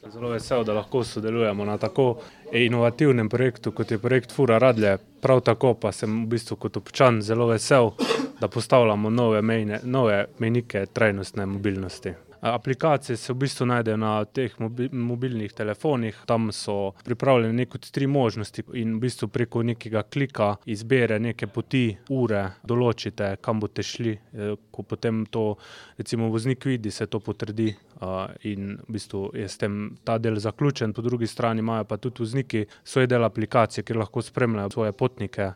Zelo vesel, da lahko sodelujemo na tako inovativnem projektu, kot je projekt Fura Radlje. Prav tako pa sem v bistvu kot občan zelo vesel, da postavljamo nove mejnike trajnostne mobilnosti. Aplikacije se v bistvu najdejo na teh mobilnih telefonih, tam so pripravljene kot 3 možnosti in v bistvu preko nekega klika izbire neke poti, ure, določite, kam boste šli, ko potem to recimo voznik vidi, se to potrdi, in v bistvu je s tem ta del zaključen, po drugi strani imajo pa tudi vozniki svoj del aplikacije, kjer lahko spremljajo svoje potnike.